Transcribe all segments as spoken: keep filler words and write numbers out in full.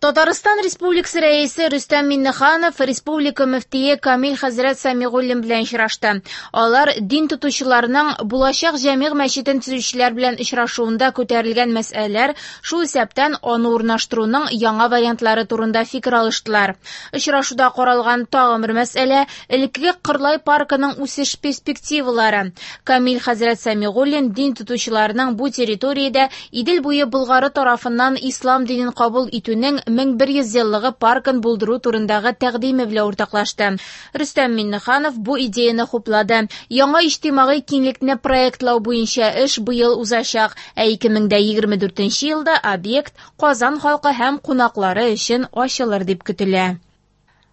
Татарстан Республикасы Рәисе Рөстәм Миңнеханов республика мөфтие Камил хәзрәт Сәмигуллин белән очрашты. Алар дин тотучыларның булачак Җәмигъ мәчетен төзүчеләр белән очрашуында күтәрелгән мәсьәләләр, шул исәптән аны урнаштыруның яңа вариантлары турында фикер алыштылар. Очрашуда каралган тагын бер мәсьәлә элеккеге Кырлай паркының үсеш перспективалары. Камил хәзрәт Сәмигуллин дин тотучыларның бу территориядә Идел буе Болгары тарафыннан ислам динен кабул итүнең мең бер йөз еллыгы паркын булдыру турындагы тәкъдиме белән уртаклашты. Рөстәм Миңнеханов бу идеяны хуплады. Яңа иҗтимагый киңлекне проектлау буенча эш быел узачак, ә ике мең дә егерме дүртенче елда объект Казан халкы һәм кунаклары өчен ачылыр дип көтелә.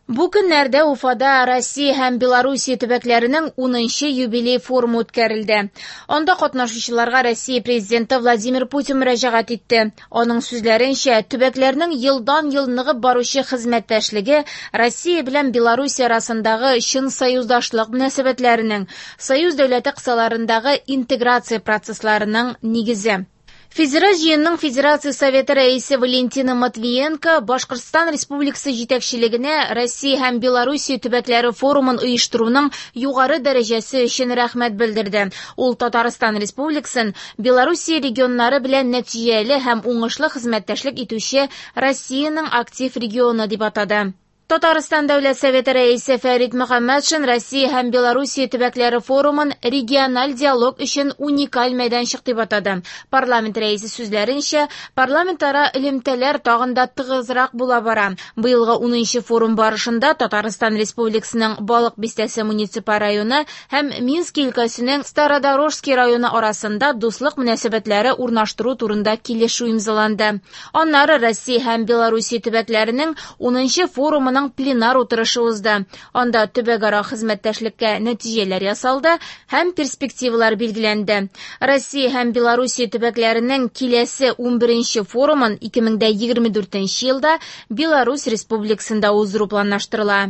Бу көннәрдә Уфада Россия һәм Белоруссия төбәкләренең унынчы юбилей форумы үткәрелде. Анда катнашучыларга Россия президенты Владимир Путин мөрәҗәгать итте. Аның сүзләренчә, төбәкләрнең елдан-ел ныгып баручы хезмәттәшлеге Россия белән Белоруссия арасындагы чын союздашлык мөнәсәбәтләренең, союз дәүләте кысаларындагы интеграция процессларының нигезе. Федераль җыенның Федерация Советы рәисе Валентина Матвиенко Башкортстан Республикасы җитәкчелегенә Россия һәм Белоруссия төбәкләре форумын оештыруның югары дәрәҗәсе өчен рәхмәт белдерде. Ул Татарстан Республикасын Белоруссия регионнары белән нәтиҗәле һәм уңышлы хезмәттәшлек итүче Россиянең актив регионы дип атады. Татарстан Дәүләт Советы рәисе Фәрит Мөхәммәтшин Россия һәм Белоруссия төбәкләре форумын региональ диалог өчен уникаль мәйданчык дип атады. Парламент рәисе сүзләренчә, парламентара элемтәләр тагын да тыгызрак була бара. Быелгы унынчы форум барышында Татарстан Республикасының Балык Бистәсе муниципаль районы һәм Минск өлкәсенең Стародорожский районы арасында дуслык мөнәсәбәтләре урнаштыру турында килешү имзаланды. Аннары Россия һәм Белоруссия төбәкләренең унынчы форумының пленар утырышы узды. Анда төбәкара хезмәттәшлеккә нәтиҗәләр ясалды һәм перспективалар билгеләнде. Россия һәм Белоруссия төбәкләренең киләсе унберенче форумын ике мең дә егерме дүртенче елда Беларусь Республикасында уздыру планлаштырыла.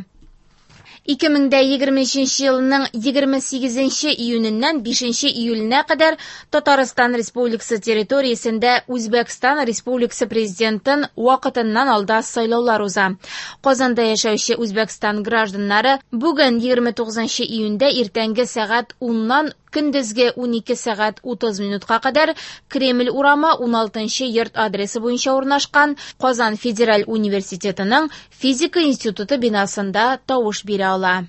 Ике мең дә егерме өченче елның егерме сигезенче июненнән бишенче июленә кадәр Татарстан Республикасы территориясендә Үзбәкстан Республикасы президентын вакытыннан алда сайлаулар уза. Казанда яшәүче Үзбәкстан гражданнары бүген егерме тугызынчы июньдә иртәнге сәгать уннан көндезге унике сәгать утыз минутка кадәр Кремль урамы уналтынчы йорт адресы буенча урнашкан Казан Федераль университетының физика институты бинасында тавыш бирә ала.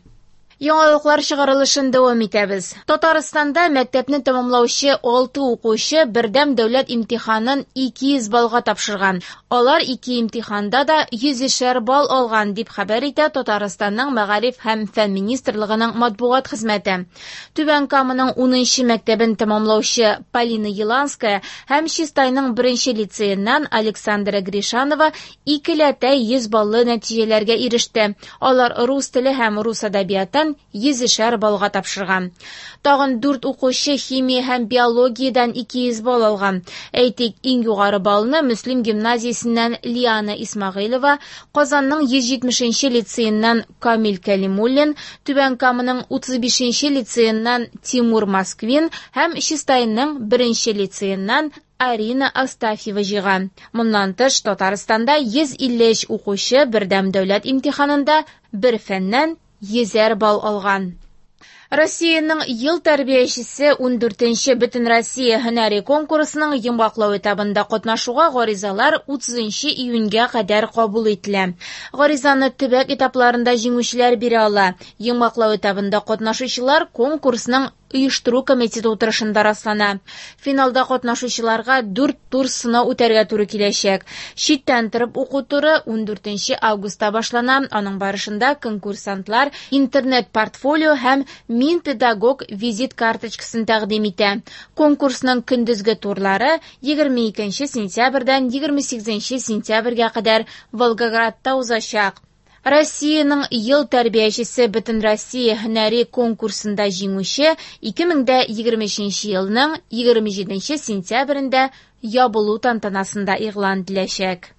Яңалыклар чыгарылышын дәвам итәбез. Татарстанда мәктәпне тәмамлаучы алты укучы бердәм дәүләт имтиханын ике йөз баллга тапшырган. Алар ике имтиханда да йөзешәр балл алган, дип хәбәр итә Татарстанның Мәгариф һәм фән министрлыгының матбугат хезмәте. Түбән Каманың унынчы мәктәбен тәмамлаучы Полина Еланская һәм Чистайның беренче лицееннан Александра Гришанова икеләтә йөз баллы нәтиҗәләргә иреште. Алар рус теле һәм рус әдәбиятын йөзешәр баллга тапшырган. Тагын дүрт укучы химия һәм биологиядән ике йөз балл алган. Әйтик, иң югары баллны Мөслим гимназиясеннән Лиана Исмәгыйлова, Казанның йөз җитмешенче лицееннән Камил Кәлимуллин, Түбән Каманың утыз бишенче лицееннән Тимур Москвин һәм Чистайның беренче лицееннән Арина Астафьева җыйган. Моннан тыш, Татарстанда йөз илле өч укучы бердәм дәүләт имтиханында бер фәннән йөзәр балл алган. Россиянең ел тәрбиячесе ундүртенче Бөтенроссия һөнәри конкурсының йомгаклау этабында катнашуга гаризалар утызынчы июньгә кадәр кабул ителә. Гаризаны төбәк этапларында җиңүчеләр бирә ала. Йомгаклау этабында катнашучылар конкурсның оештыру комитеты утырышында раслана. Финалда катнашучыларга дүрт тур сынау үтәргә туры киләчәк. Читтән торып уку туры ундүртенче августта башлана. Аның барышында конкурсантлар интернет-портфолио һәм Мин педагог визит карточкасын тәкъдим итә. Конкурсның көндезге турлары егерме икенче сентябрьдән егерме сигезенче сентябрьгә кадәр Волгоградта узачак. Россиянең ел тәрбиячесе Бөтенроссия һөнәри конкурсында җиңүче ике мең дә егерме өченче елның егерме җиденче сентябрендә ябылу тантанасында игълан ителәчәк.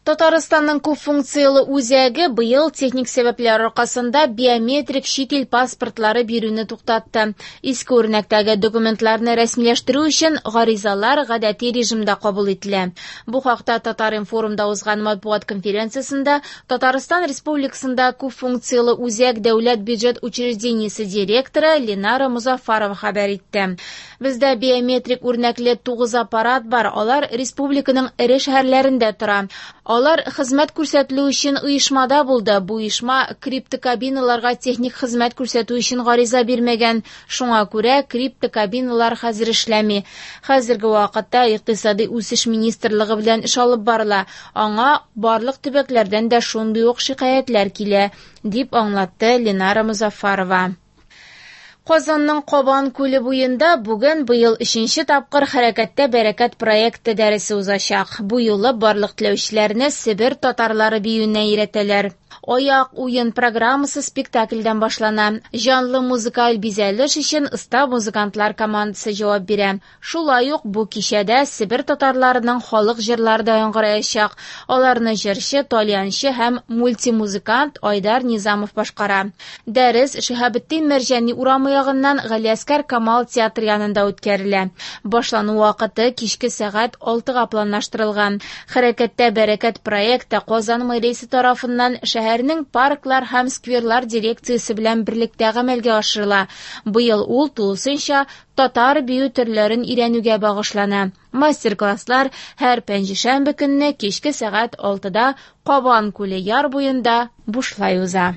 Татарстанның күп функцияле үзәге быел техник сәбәпләр аркасында биометрик чит ил паспортлары бирүне туктатты. Иске үрнәктәге документларны рәсмиләштерү өчен гаризалар гадәти режимда кабул ителә. Бу хакта Татар-информда узган матбугат конференциясендә Татарстан Республикасында күп функцияле үзәк дәүләт бюджет учреждениесе директоры Ленара Мозаффарова хәбәр итте. Бездә биометрик үрнәкле тугыз аппарат бар, алар республиканың эре шәһәрләрендә тора. Алар хезмәт күрсәтелү өчен оешмада булды. Бу оешма криптокабиналарга техник хезмәт күрсәтү өчен гариза бирмәгән. Шуңа күрә криптокабиналар хәзер эшләми. Хәзерге вакытта Икътисади үсеш министрлыгы белән эш алып барыла. Аңа барлык төбәкләрдән дә шундый ук шикаятьләр килә, дип аңлатты Ленара Мозаффарова. Казанның Кабан күле буенда бүген быел өченче тапкыр Хәрәкәттә бәрәкәт проекты дәресе узачак. Бу юлы барлык теләүчеләрне Себер татарлары биюенә өйрәтәләр. Аяк уен программасы спектакльдән башлана. Җанлы музыкаль бизәлеш өчен оста музыкантлар командасы җавап бирә. Шулай ук бу кичәдә Себер татарларының халык җырлары да яңгыраячак. Аларны җырчы, тальянчы һәм мультимузыкант Айдар Низамов башкара. Дәрес Шиһабетдин Мәрҗани урамы ягыннан Галиәскәр Камал театры янында үткәрелә. Башлану вакыты кичке сәгать алтыга планлаштырылган. Хәрәкәттә бәрәкәт проекты Казан мэриясе тарафыннан шәһәрнең парклар һәм скверлар дирекциясе белән берлектә гамәлгә ашырыла. Быел ул тулысынча татар бию төрләрен өйрәнүгә багышлана. Мастер-класслар һәр пәнҗешәмбе көнне кичке сәгать алтыда Кабан күле яр буенда бушлай уза.